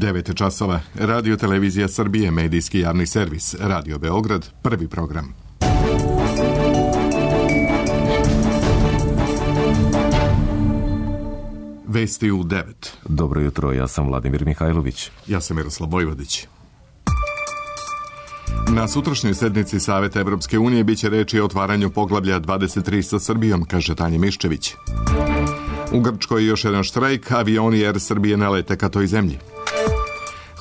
9 časova. Radio Televizija Srbije, medijski javni servis. Radio Beograd, prvi program. Vesti u 9. Dobro jutro, ja sam Vladimir Mihajlović. Ja sam Miroslav Vojvodić. Na sutrašnjoj sednici Saveta Evropske unije biće reči o otvaranju poglavlja 23 sa Srbijom, kaže Tanja Miščević. U Grčkoj još jedan štrajk, avioni Air Srbije ne lete ka toj zemlji.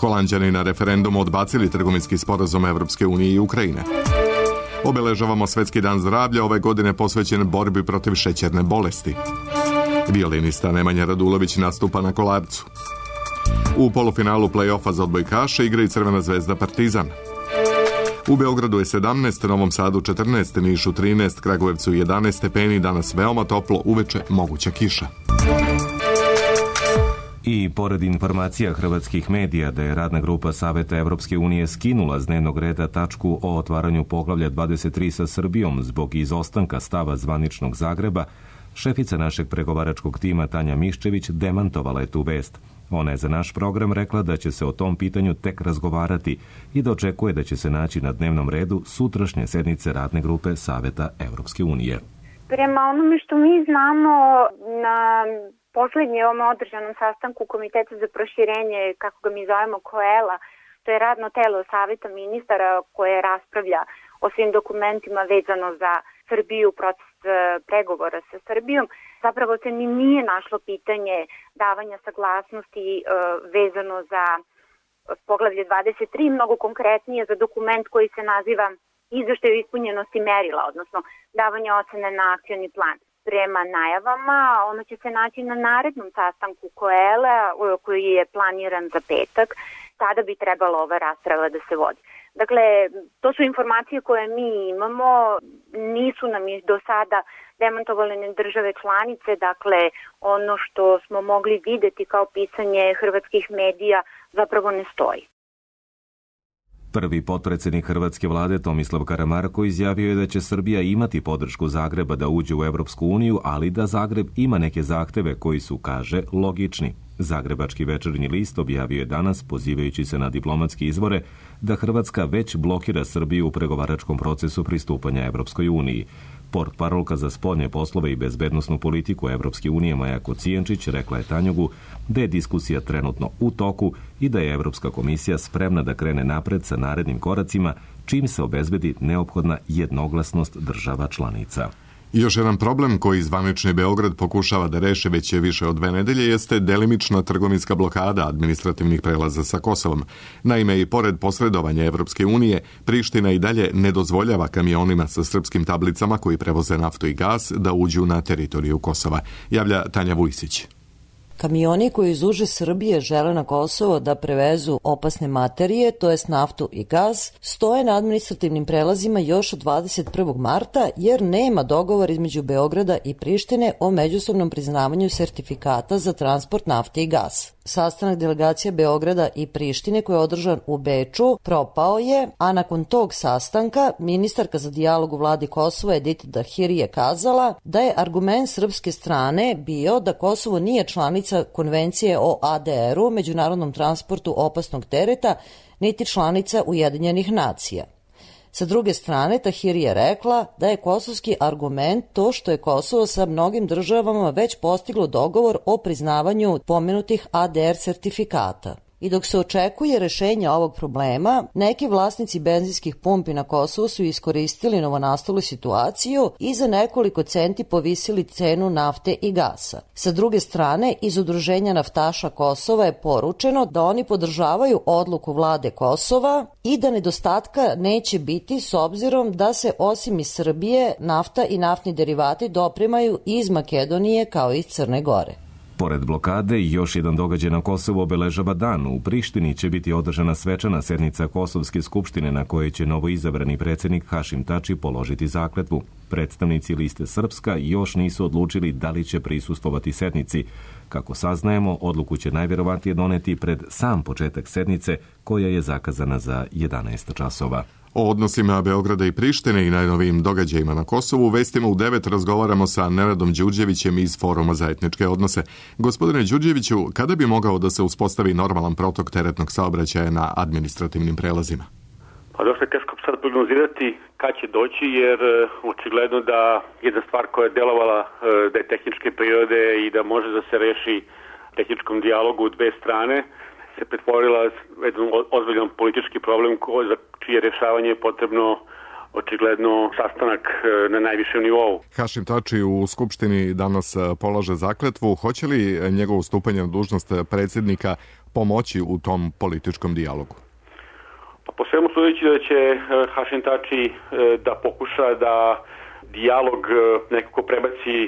Holanđani na referendumu odbacili trgovinski sporazum Evropske unije i Ukrajine. Obeležavamo Svetski dan zdravlja, ove godine posvećen borbi protiv šećerne bolesti. Violinista Nemanja Radulović nastupa na Kolarcu. U polufinalu play-offa za odbojkaše igra i Crvena zvezda Partizan. U Beogradu je 17, Novom Sadu 14, Nišu 13, Kragujevcu 11 stepeni, danas veoma toplo, uveče moguća kiša. I pored informacija hrvatskih medija da je radna grupa Saveta Evropske unije skinula s dnevnog reda tačku o otvaranju poglavlja 23 sa Srbijom zbog izostanka stava zvaničnog Zagreba, šefica našeg pregovaračkog tima Tanja Miščević demantovala je tu vest. Ona je za naš program rekla da će se o tom pitanju tek razgovarati i da očekuje da će se naći na dnevnom redu sutrašnje sednice radne grupe Saveta Evropske unije. Prema onome što mi znamo, na poslednjem održanom sastanku Komiteta za proširenje, kako ga mi zovemo COELA, to je radno telo Saveta ministara koje raspravlja o svim dokumentima vezano za Srbiju, proces pregovora sa Srbijom, zapravo se ni nije našlo pitanje davanja saglasnosti vezano za poglavlje 23, mnogo konkretnije za dokument koji se naziva izveštaj o ispunjenosti merila, odnosno davanje ocene na akcioni plan. Prema najavama, ono će se naći na narednom sastanku COELA koji je planiran za petak, tada bi trebala ova rasprava da se vodi. Dakle, to su informacije koje mi imamo, nisu nam do sada demantovale ni države članice, dakle ono što smo mogli videti kao pisanje hrvatskih medija zapravo ne stoji. Prvi potpredsjednik hrvatske vlade Tomislav Karamarko izjavio je da će Srbija imati podršku Zagreba da uđe u Evropsku uniju, ali da Zagreb ima neke zahteve koji su, kaže, logični. Zagrebački večernji list objavio je danas, pozivajući se na diplomatske izvore, da Hrvatska već blokira Srbiju u pregovaračkom procesu pristupanja Evropskoj uniji. Portparolka za spoljne poslove i bezbednosnu politiku Evropske unije Maja Kocijančić rekla je Tanjugu da je diskusija trenutno u toku i da je Evropska komisija spremna da krene napred sa narednim koracima, čim se obezbedi neophodna jednoglasnost država članica. Još jedan problem koji zvanični Beograd pokušava da reše već je više od 2 nedelje jeste delimična trgovinska blokada administrativnih prelaza sa Kosovom. Naime, i pored posredovanja Evropske unije, Priština i dalje ne dozvoljava kamionima sa srpskim tablicama koji prevoze naftu i gas da uđu na teritoriju Kosova, javlja Tanja Vujsić. Kamioni koji iz uže Srbije žele na Kosovo da prevezu opasne materije, to jest naftu i gas, stoje na administrativnim prelazima još od 21. marta jer nema dogovor između Beograda i Prištine o međusobnom priznavanju sertifikata za transport nafte i gasa. Sastanak delegacija Beograda i Prištine koji je održan u Beču propao je, a nakon tog sastanka ministarka za dijalog u vladi Kosova Edita Dahiri je kazala da je argument srpske strane bio da Kosovo nije članica Konvencije o ADR-u, međunarodnom transportu opasnog tereta, niti članica Ujedinjenih nacija. Sa druge strane, Tahiri je rekla da je kosovski argument to što je Kosovo sa mnogim državama već postiglo dogovor o priznavanju pomenutih ADR sertifikata. I dok se očekuje rešenje ovog problema, neki vlasnici benzinskih pumpi na Kosovu su iskoristili novonastalu situaciju i za nekoliko centi povisili cenu nafte i gasa. Sa druge strane, iz Udruženja naftaša Kosova je poručeno da oni podržavaju odluku vlade Kosova i da nedostatka neće biti s obzirom da se osim iz Srbije nafta i naftni derivati dopremaju iz Makedonije kao i iz Crne Gore. Pored blokade, još jedan događaj na Kosovu obeležava dan. U Prištini će biti održana svečana sednica Kosovske skupštine na kojoj će novoizabrani predsjednik Hašim Tači položiti zakletvu. Predstavnici liste Srpska još nisu odlučili da li će prisustvovati sednici. Kako saznajemo, odluku će najvjerovatnije doneti pred sam početak sednice koja je zakazana za 11 časova. O odnosima Beograda i Prištine i najnovijim događajima na Kosovu vestima u 9 razgovaramo sa Nenadom Đurđevićem iz Foruma za etničke odnose. Gospodine Đurđeviću, kada bi mogao da se uspostavi normalan protok teretnog saobraćaja na administrativnim prelazima? Pa dosta je teško sad prognozirati kad će doći, jer očigledno da jedna stvar koja je delovala da je tehničke prirode i da može da se reši tehničkom dijalogu u dve strane, se pretvorila jedan ozbiljan politički problem za čije rješavanje je potrebno očigledno sastanak na najvišem nivou. Hašim Tači u Skupštini danas polaže zakletvu. Hoće li njegovo stupanje na dužnost predsjednika pomoći u tom političkom dijalogu? Pa po svemu sudeći da će Hašim Tači da pokuša da dijalog nekako prebaci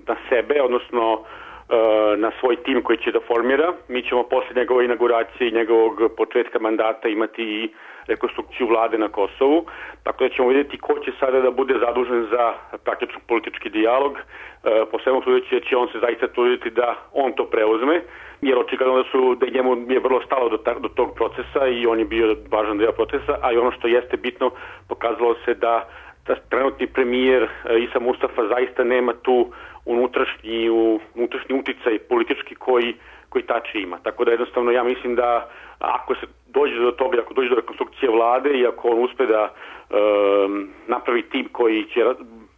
na sebe, odnosno na svoj tim koji će da formira. Mi ćemo posle njegove inauguracije i njegovog početka mandata imati i rekonstrukciju vlade na Kosovu, tako da ćemo vidjeti ko će sada da bude zadužen za praktično politički dijalog. Po svemu sudeći će on se zaista truditi da on to preuzme, jer očigledno da njemu je vrlo stalo do tog procesa i on je bio važan deo procesa, a i ono što jeste bitno, pokazalo se da trenutni premijer Isa Mustafa zaista nema tu unutrašnji uticaj politički koji Tači ima. Tako da jednostavno ja mislim da ako se dođe do toga, ako dođe do rekonstrukcije vlade i ako on uspe da napravi tim koji će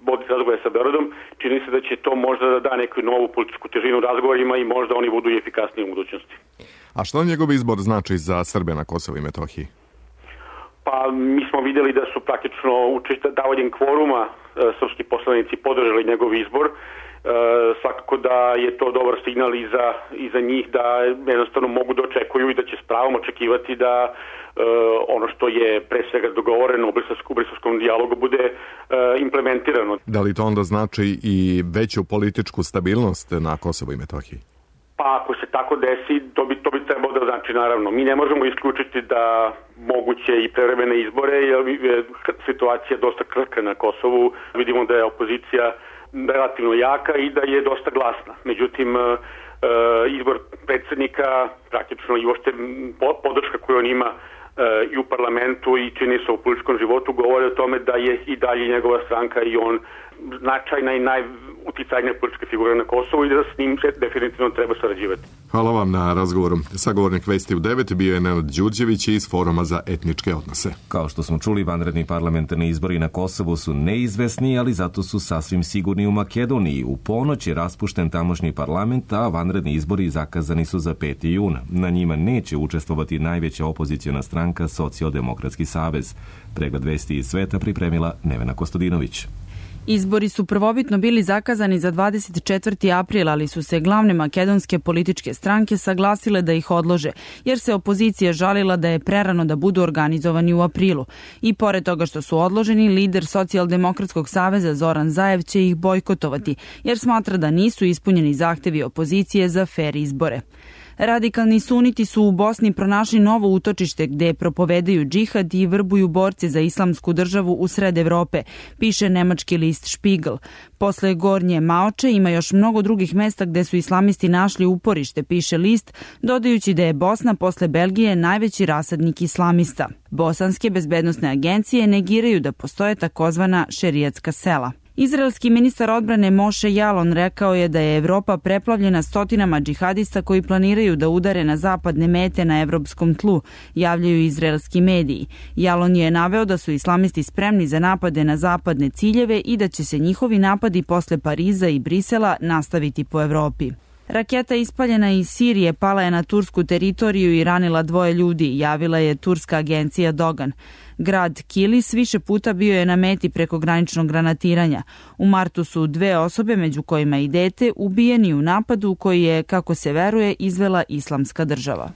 voditi razgovore sa Beogradom, čini se da će to možda da da neku novu političku težinu razgovorima i možda oni budu i efikasniji u budućnosti. A što njegov izbor znači za Srbe na Kosovu i Metohiji? Pa mi smo vidjeli da su praktično davanjem kvoruma srpski poslanici podržali njegov izbor. Svakako da je to dobar signal i za njih da jednostavno mogu da očekuju i da će s pravom očekivati da ono što je pre svega dogovoreno u briselskom dijalogu bude implementirano. Da li to onda znači i veću političku stabilnost na Kosovu i Metohiji? Pa ako se tako desi, to bi trebalo da znači naravno. Mi ne možemo isključiti da moguće i prevremene izbore, jer je situacija dosta krhka na Kosovu. Vidimo da je opozicija relativno jaka i da je dosta glasna. Međutim, izbor predsjednika, praktično i uopšte podrška koju on ima i u parlamentu i čini se u političkom životu, govore o tome da je i dalje njegova stranka i on značajna i najuticajnija politička figura na Kosovu i da s njim se definitivno treba sarađivati. Hvala vam na razgovoru. Sagovornik Vesti u 9 bio je Nenad Đurđević iz Foruma za etničke odnose. Kao što smo čuli, vanredni parlamentarni izbori na Kosovu su neizvesni, ali zato su sasvim sigurni u Makedoniji. U ponoć je raspušten tamošnji parlament, a vanredni izbori zakazani su za 5. jun. Na njima neće učestvovati najveća opoziciona stranka Socijaldemokratski savez. Pregled vesti iz sveta pripremila Nevena Kostadinović. Izbori su prvobitno bili zakazani za 24. april, ali su se glavne makedonske političke stranke saglasile da ih odlože, jer se opozicija žalila da je prerano da budu organizovani u aprilu. I pored toga što su odloženi, lider Socijaldemokratskog saveza Zoran Zaev će ih bojkotovati, jer smatra da nisu ispunjeni zahtevi opozicije za fer izbore. Radikalni suniti su u Bosni pronašli novo utočište gde propovedaju džihad i vrbuju borce za islamsku državu u sred Evrope, piše nemački list Spiegel. Posle Gornje Maoče ima još mnogo drugih mesta gde su islamisti našli uporište, piše list, dodajući da je Bosna posle Belgije najveći rasadnik islamista. Bosanske bezbednosne agencije negiraju da postoje takozvana šerijatska sela. Izraelski ministar odbrane Moše Jalon rekao je da je Evropa preplavljena stotinama džihadista koji planiraju da udare na zapadne mete na evropskom tlu, javljaju izraelski mediji. Jalon je naveo da su islamisti spremni za napade na zapadne ciljeve i da će se njihovi napadi posle Pariza i Brisela nastaviti po Evropi. Raketa ispaljena iz Sirije pala je na tursku teritoriju i ranila 2 ljudi, javila je turska agencija Dogan. Grad Kilis više puta bio je na meti prekograničnog granatiranja. U martu su 2 osobe, među kojima i dete, ubijeni u napadu koji je, kako se veruje, izvela Islamska država.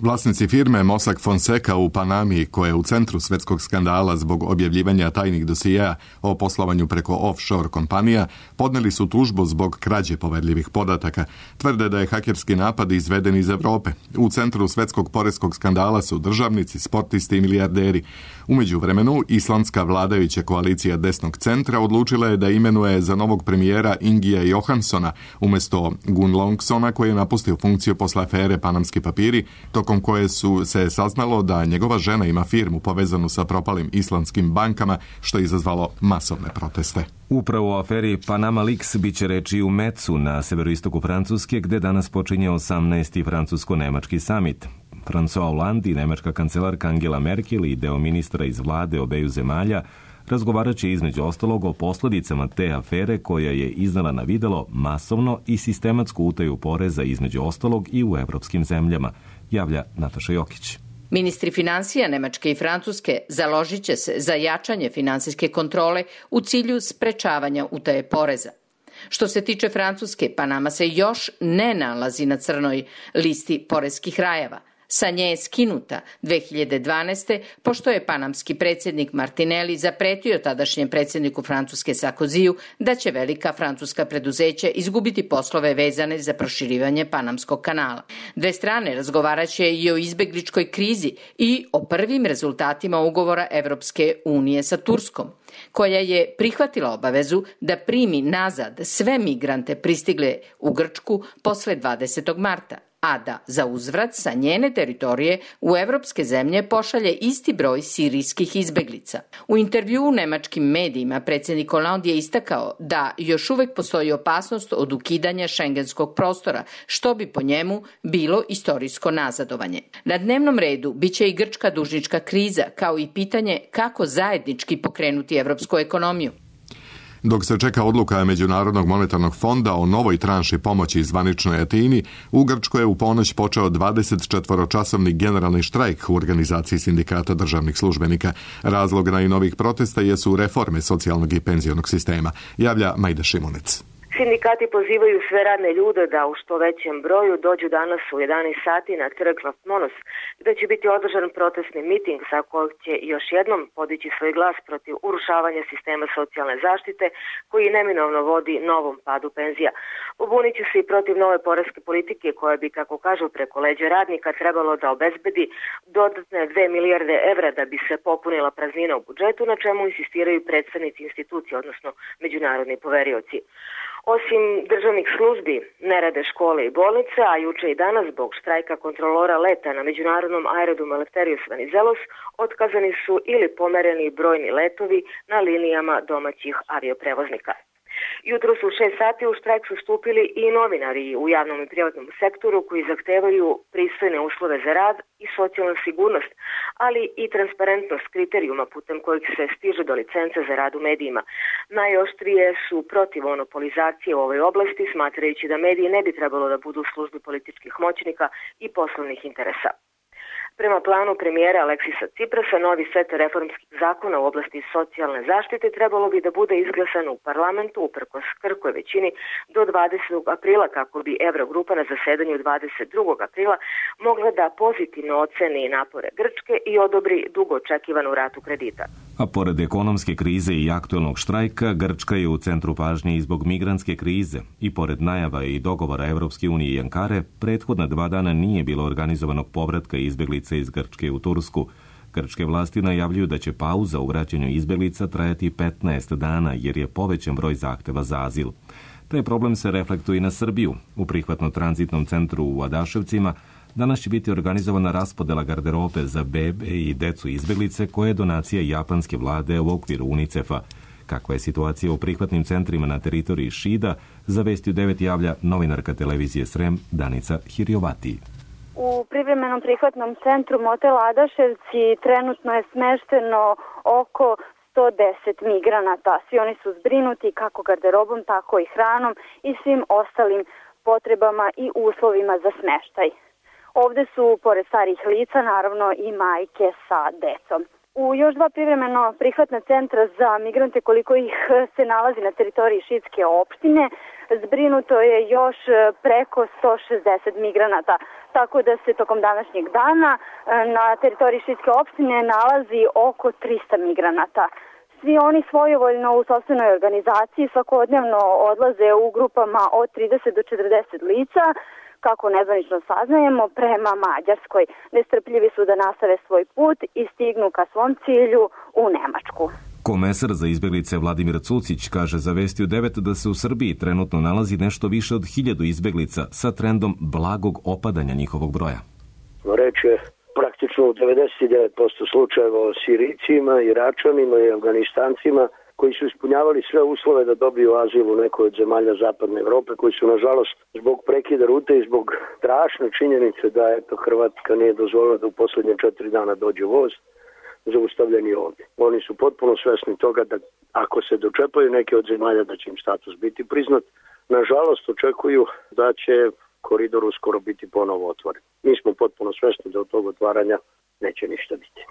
Vlasnici firme Mossack Fonseca u Panami, koja je u centru svetskog skandala zbog objavljivanja tajnih dosijeja o poslovanju preko offshore kompanija, podneli su tužbu zbog krađe poverljivih podataka. Tvrde da je hakerski napad izveden iz Evrope. U centru svetskog poreskog skandala su državnici, sportisti i milijarderi. U međuvremenu, islandska vladajuća koalicija desnog centra odlučila je da imenuje za novog premijera Ingija Johanssona umjesto Gun Longsona, koji je napustio funkciju posle afere Panamski papiri, tokom tokom koje se saznalo da njegova žena ima firmu povezanu sa propalim islamskim bankama, što je izazvalo masovne proteste. Upravo o aferi Panama Leaks biće reči u Metzu na severoistoku Francuske, gde danas počinje 18. francusko-nemački samit. François Hollande i nemačka kancelarka Angela Merkel i deo ministra iz vlade obeju zemalja razgovarat će između ostalog o posljedicama te afere koja je iznala na videlo masovno i sistematsku utaju poreza između ostalog i u evropskim zemljama, javlja Nataša Jokić. Ministri finansija Nemačke i Francuske založit će se za jačanje finansijske kontrole u cilju sprečavanja utaje poreza. Što se tiče Francuske, Panama se još ne nalazi na crnoj listi poreskih rajeva. Sa nje je skinuta 2012. pošto je panamski predsjednik Martinelli zapretio tadašnjem predsjedniku Francuske Sarkoziju da će velika francuska preduzeća izgubiti poslove vezane za proširivanje Panamskog kanala. Dve strane razgovaraće i o izbegličkoj krizi i o prvim rezultatima ugovora Evropske unije sa Turskom, koja je prihvatila obavezu da primi nazad sve migrante pristigle u Grčku posle 20. marta. A da za uzvrat sa njene teritorije u evropske zemlje pošalje isti broj sirijskih izbeglica. U intervjuu u nemačkim medijima predsjednik Hollande je istakao da još uvek postoji opasnost od ukidanja šengenskog prostora, što bi po njemu bilo istorijsko nazadovanje. Na dnevnom redu biće i grčka dužnička kriza, kao i pitanje kako zajednički pokrenuti evropsku ekonomiju. Dok se čeka odluka Međunarodnog monetarnog fonda o novoj tranši pomoći zvaničnoj Atini, u Grčkoj je u ponoć počeo 24-časovni generalni štrajk u organizaciji sindikata državnih službenika. Razlog najnovijih protesta jesu reforme socijalnog i penzionog sistema, javlja Majda Šimunec. Sindikati pozivaju sve radne ljude da u što većem broju dođu danas u 11 sati na trg Latmonos, gde će biti održan protestni miting sa kojeg će još jednom podići svoj glas protiv urušavanja sistema socijalne zaštite koji neminovno vodi novom padu penzija. Pobunit će se i protiv nove poreske politike koja bi, kako kažu, preko leđa radnika trebalo da obezbedi dodatne 2 milijarde evra da bi se popunila praznina u budžetu, na čemu insistiraju predstavnici institucije, odnosno međunarodni poverioci. Osim državnih službi, ne rade škole i bolnice, a juče i danas zbog štrajka kontrolora leta na međunarodnom aerodromu Eleftherios Venizelos otkazani su ili pomereni brojni letovi na linijama domaćih avioprevoznika. Jutro su u 6 sati u štrajk su stupili i novinari u javnom i privatnom sektoru koji zahtevaju pristojne uslove za rad i socijalnu sigurnost, ali i transparentnost kriterijuma putem kojih se stiže do licence za rad u medijima. Najoštrije su protiv monopolizacije u ovoj oblasti, smatrajući da mediji ne bi trebalo da budu u službi političkih moćnika i poslovnih interesa. Prema planu premijera Aleksisa Ciprasa, novi set reformskih zakona u oblasti socijalne zaštite trebalo bi da bude izglasan u parlamentu uprkos krhkoj većini do 20. aprila, kako bi Eurogrupa na zasedanju 22. aprila mogla da pozitivno oceni napore Grčke i odobri dugo očekivanu ratu kredita. A pored ekonomske krize i aktuelnog štrajka, Grčka je u centru pažnje i zbog migrantske krize. I pored najava i dogovora Evropske unije i Ankare, prethodna 2 dana nije bilo organizovanog povratka izbeglica iz Grčke u Tursku. Grčke vlasti najavljuju da će pauza u vraćanju izbeglica trajati 15 dana jer je povećan broj zahteva za azil. Taj problem se reflektuje i na Srbiju. U prihvatno-tranzitnom centru u Adaševcima danas će biti organizovana raspodela garderobe za bebe i decu izbeglice koje je donacija japanske vlade u okviru UNICEF-a. Kakva je situacija u prihvatnim centrima na teritoriji Šida, za Vesti u 9 javlja novinarka televizije Srem Danica Hirjovati. U privremenom prihvatnom centru Motel Adaševci trenutno je smešteno oko 110 migranata. Svi oni su zbrinuti kako garderobom, tako i hranom i svim ostalim potrebama i uslovima za smeštaj. Ovde su, pored starih lica, naravno i majke sa decom. U još 2 privremeno prihvatna centra za migrante, koliko ih se nalazi na teritoriji Šidske opštine, zbrinuto je još preko 160 migranata, tako da se tokom današnjeg dana na teritoriji Šidske opštine nalazi oko 300 migranata. Svi oni svojevoljno u sopstvenoj organizaciji svakodnevno odlaze u grupama od 30 do 40 lica, kako nezvanično saznajemo, prema Mađarskoj. Nestrpljivi su da nastave svoj put i stignu ka svom cilju u Nemačku. Komesar za izbeglice Vladimir Cucić kaže za Vesti u 9 da se u Srbiji trenutno nalazi nešto više od 1000 izbeglica sa trendom blagog opadanja njihovog broja. Reč reč je praktično u 99% slučajeva o Sirijcima, Iračanima i Afganistancima koji su ispunjavali sve uslove da dobiju azil u nekoj od zemalja zapadne Evrope, koji su nažalost zbog prekida rute i zbog strašne činjenice da Hrvatska nije dozvolila da u posljednje 4 dana dođe voz, zaustavljeni ovdje. Oni su potpuno svesni toga da ako se dočepaju neke od zemalja da će im status biti priznat, nažalost očekuju da će koridor uskoro biti ponovo otvoren. Mi smo potpuno svesni da od tog otvaranja neće ništa biti.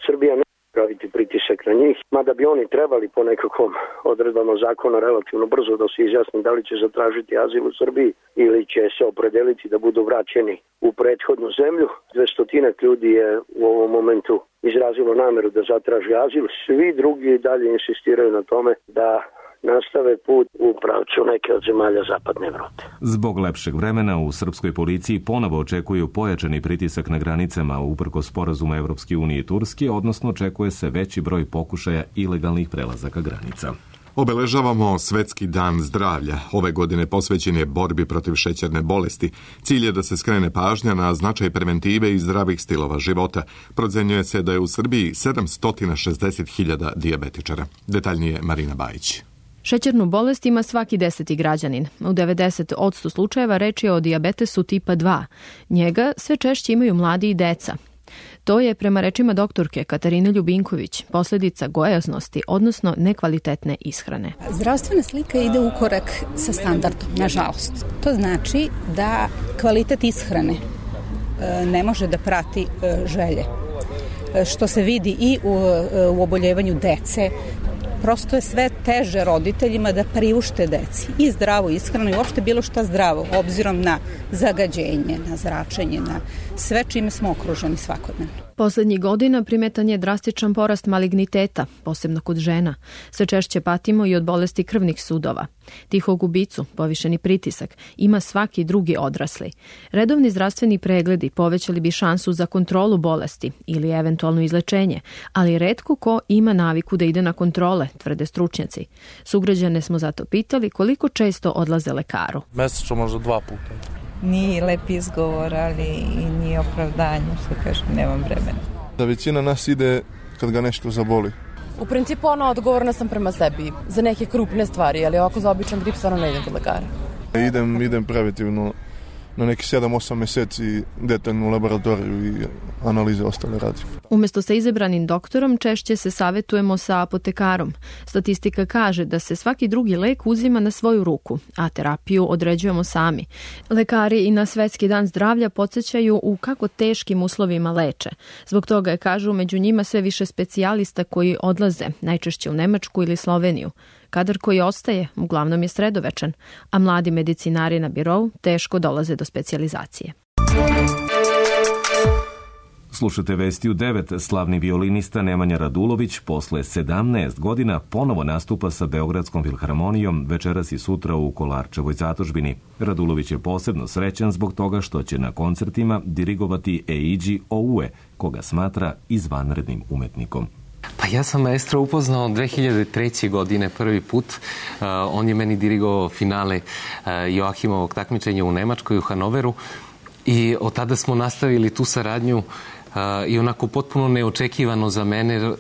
Srbija ne praviti pritisak na njih, mada bi oni trebali po nekakvom odredbama zakona relativno brzo da se izjasni da li će zatražiti azil u Srbiji ili će se opredeliti da budu vraćeni u prethodnu zemlju. 200 ljudi je u ovom momentu izrazilo nameru da zatraži azil. Svi drugi dalje insistiraju na tome da nastave put u pravcu neke od zemalja zapadne Evrope. Zbog lepšeg vremena u srpskoj policiji ponovo očekuju pojačani pritisak na granicama uprkos sporazuma Evropske unije i Turske, odnosno očekuje se veći broj pokušaja ilegalnih prelazaka granica. Obeležavamo Svetski dan zdravlja. Ove godine posvećen je borbi protiv šećerne bolesti. Cilj je da se skrene pažnja na značaj preventive i zdravih stilova života. Procenjuje se da je u Srbiji 760.000 dijabetičara. Detaljnije Marina Bajić. Šećernu bolest ima svaki 10. građanin. U 90% slučajeva reč je o dijabetesu tipa 2. Njega sve češće imaju mladi i deca. To je, prema rečima doktorke Katarine Ljubinković, posljedica gojaznosti, odnosno nekvalitetne ishrane. Zdravstvena slika ide u korak sa standardom, nažalost. To znači da kvalitet ishrane ne može da prati želje. Što se vidi i u oboljevanju dece, prosto je sve teže roditeljima da priušte deci i zdravu ishranu i uopšte bilo šta zdravo, obzirom na zagađenje, na zračenje, na sve čime smo okruženi svakodnevno. Poslednjih godina primetan je drastičan porast maligniteta, posebno kod žena. Sve češće patimo i od bolesti krvnih sudova. Tihog ubicu, povišeni pritisak, ima svaki drugi odrasli. Redovni zdravstveni pregledi povećali bi šansu za kontrolu bolesti ili eventualno izlečenje, ali retko ko ima naviku da ide na kontrole, tvrde stručnjaci. Sugrađane smo zato pitali koliko često odlaze lekaru. Mesečno možda 2 puta. Nije lep izgovor, ali i nije opravdanje, što kažem, nemam vremena. Da većina nas ide kad ga nešto zaboli. U principu odgovorna sam prema sebi za neke krupne stvari, ali ovako za običan grip stvarno ne idem kod lekara. Idem preventivno na neki 7-8 meseci detaljnu laboratoriju i analize ostale radi. Umjesto sa izabranim doktorom, češće se savjetujemo sa apotekarom. Statistika kaže da se svaki drugi lek uzima na svoju ruku, a terapiju određujemo sami. Lekari i na Svetski dan zdravlja podsjećaju u kako teškim uslovima leče. Zbog toga je, kažu, među njima sve više specijalista koji odlaze, najčešće u Nemačku ili Sloveniju. Kadar koji ostaje, uglavnom je sredovečan, a mladi medicinari na birou teško dolaze do specijalizacije. Slušate vesti u 9. Slavni violinista Nemanja Radulović posle 17 godina ponovo nastupa sa Beogradskom filharmonijom večeras i sutra u Kolarčevoj zadužbini. Radulović je posebno srećan zbog toga što će na koncertima dirigovati Eiji Oue, koga smatra izvanrednim umetnikom. Pa ja sam maestro upoznao 2003. godine prvi put. On je meni dirigovao finale Joachimovog takmičenja u Nemačkoj, u Hanoveru, i od tada smo nastavili tu saradnju i onako potpuno neočekivano za mene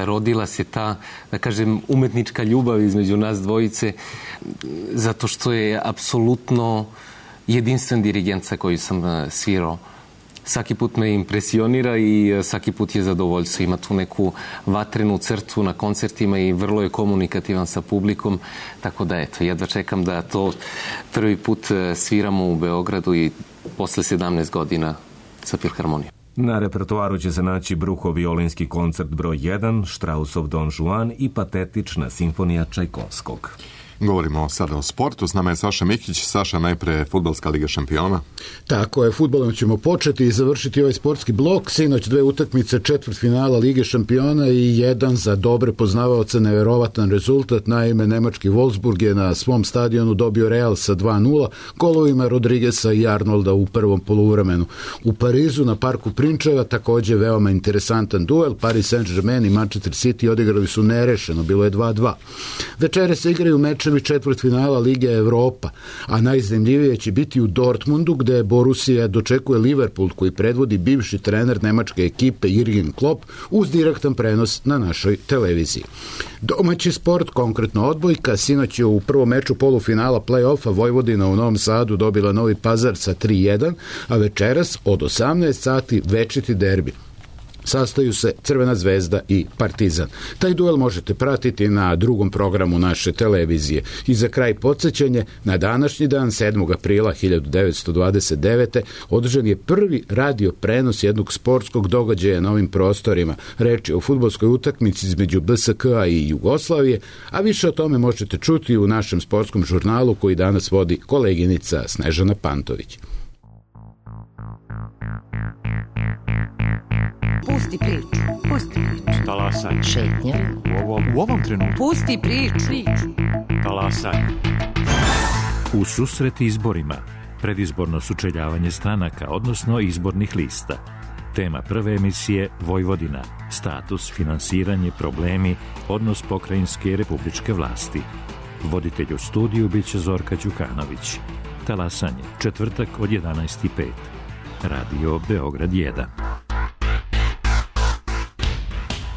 rodila se ta, da kažem, umetnička ljubav između nas dvojice, zato što je apsolutno jedinstven dirigent sa koji sam svirao. Svaki put me impresionira i svaki put je zadovoljstvo. Ima tu neku vatrenu crtu na koncertima i vrlo je komunikativan sa publikom. Tako da, eto, jedva čekam da to prvi put sviramo u Beogradu i posle 17 godina sa filharmonijom. Na repertoaru će se naći Bruhov violinski koncert broj 1, Štrausov Don Juan i patetična simfonija Čajkovskog. Govorimo sada o sportu. S nama je Saša Mikić. Saša, najpre Fudbalska liga šampiona. Tako je, fudbalom ćemo početi i završiti ovaj sportski blok. Sinoć 2 utakmice četvrtfinala Lige šampiona i jedan za dobre poznavaoce neverovatan rezultat. Naime, nemački Wolfsburg je na svom stadionu dobio Real sa 2-0 golovima Rodrigesa i Arnolda u prvom poluvremenu. U Parizu na parku Prinčeva takođe veoma interesantan duel. Paris Saint-Germain i Manchester City odigrali su nerešeno, bilo je 2-2. Večere se igraju meče mečevi četvrtfinala Lige Evropa, a najzanimljivije će biti u Dortmundu, gde Borussia dočekuje Liverpool, koji predvodi bivši trener nemačke ekipe Jürgen Klopp, uz direktan prenos na našoj televiziji. Domaći sport, konkretno odbojka, sinoć je u prvom meču polufinala play-offa Vojvodina u Novom Sadu dobila Novi Pazar sa 3-1, a večeras od 18 sati večiti derbi. Sastaju se Crvena zvezda i Partizan. Taj duel možete pratiti na drugom programu naše televizije. I za kraj podsjećanje, na današnji dan, 7. aprila 1929. održan je prvi radio prenos jednog sportskog događaja na ovim prostorima. Reč je o fudbalskoj utakmici između BSK-a i Jugoslavije, a više o tome možete čuti u našem sportskom žurnalu koji danas vodi koleginica Snežana Pantović. Pusti priču. Pusti priču. Talasaj. Šetnja. U ovom trenutku. Pusti priču. Talasaj. U susret izborima. Predizborno sučeljavanje stranaka, odnosno izbornih lista. Tema prve emisije Vojvodina. Status, finansiranje, problemi, odnos pokrajinske i republičke vlasti. Voditelj u studiju biće Zorka Đukanović. Talasanje. Četvrtak od 11:05. Radio Beograd 1.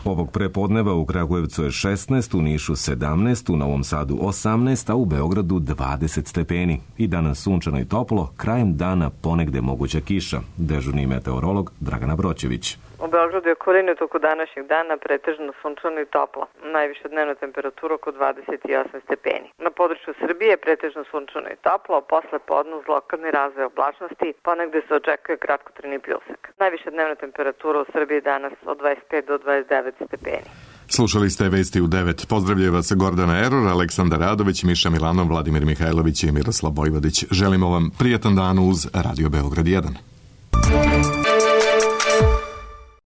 Ovog prepodneva u Kragujevcu je 16, u Nišu 17, u Novom Sadu 18, a u Beogradu 20 stepeni. I danas sunčano i toplo, krajem dana ponegde moguća kiša. Dežurni meteorolog Dragana Broćević. U Beogradu je okolini toku današnjeg dana pretežno sunčano i toplo. Najviša dnevna temperatura oko 28 stepeni. Na području Srbije pretežno sunčano i toplo, a posle podne uz lokalni razvoj oblačnosti ponegde se očekuje kratkotrajni pljusak. Najviša dnevna temperatura u Srbiji danas od 25 do 29 stepeni. Slušali ste Vesti u 9. Pozdravljaju vas Gordana Eror, Aleksandar Radović, Miša Milanov, Vladimir Mihajlović i Miroslav Vojvodić. Želimo vam prijatan dan uz Radio Beograd 1.